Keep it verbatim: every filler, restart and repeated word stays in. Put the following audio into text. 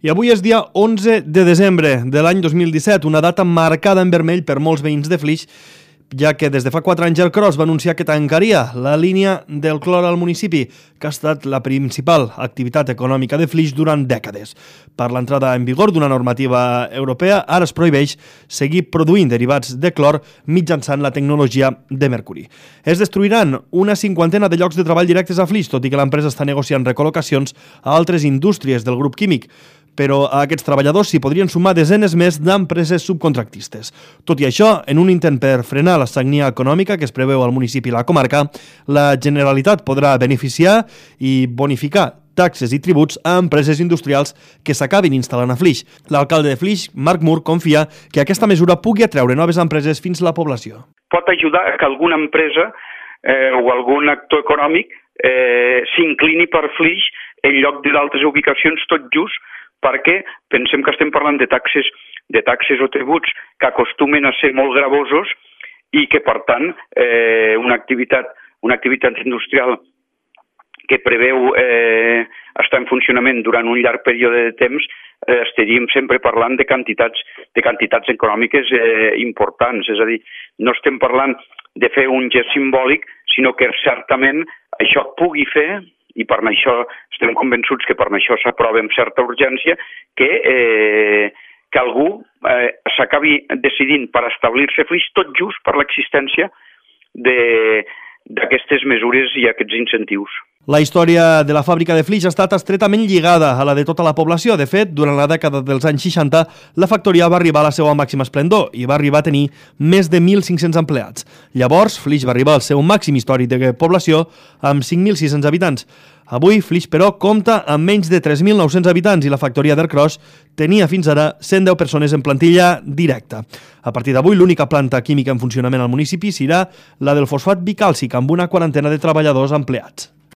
I avui és dia onze de desembre de l'any dos mil disset, una data marcada en vermell per molts veïns de Flix, ja que des de fa quatre anys el Cros va anunciar que tancaria la línia del clor al municipi, que ha estat la principal activitat econòmica de Flix durant dècades. Per l'entrada en vigor d'una normativa europea, ara es prohibeix seguir produint derivats de clor mitjançant la tecnologia de mercuri. Es destruiran una cinquantena de llocs de treball directes a Flix, tot i que l'empresa està negociant recol·locacions a altres indústries del grup químic, però a aquests treballadors s'hi podrien sumar desenes més d'empreses subcontractistes. Tot i això, en un intent per frenar la sagnia econòmica que es preveu al municipi i la comarca, la Generalitat podrà beneficiar i bonificar taxes i tributs a empreses industrials que s'acabin instal·lant a Flix. L'alcalde de Flix, Marc Mur, confia que aquesta mesura pugui atreure noves empreses fins a la població. Pot ajudar a que alguna empresa eh, o algun actor econòmic eh, s'inclini per Flix en lloc d'altres ubicacions, tot just perquè pensem que estem parlant de taxes, de taxes o tributs que acostumen a ser molt gravosos i que, per tant, eh, una activitat, una activitat industrial que preveu eh, estar en funcionament durant un llarg període de temps, eh, estaríem sempre parlant de quantitats, de quantitats econòmiques eh, importants. És a dir, no estem parlant de fer un gest simbòlic, sinó que certament això pugui fer, i per això estem convençuts que per això s'aprova amb certa urgència, que, eh, que algú eh, s'acabi decidint per establir-se a Flix tot just per l'existència d'aquestes mesures i aquests incentius. La història de la fàbrica de Flix ha estat estretament lligada a la de tota la població. De fet, durant la dècada dels anys seixanta, la factoria va arribar a la seva màxima esplendor i va arribar a tenir més de mil cinc-cents empleats. Llavors, Flix va arribar al seu màxim històric de població amb cinc mil sis-cents habitants. Avui, Flix, però, compta amb menys de tres mil nou-cents habitants i la factoria d'Ercros tenia fins ara cent deu persones en plantilla directa. A partir d'avui, l'única planta química en funcionament al municipi serà la del fosfat bicàlcic, amb una quarantena de treballadors empleats.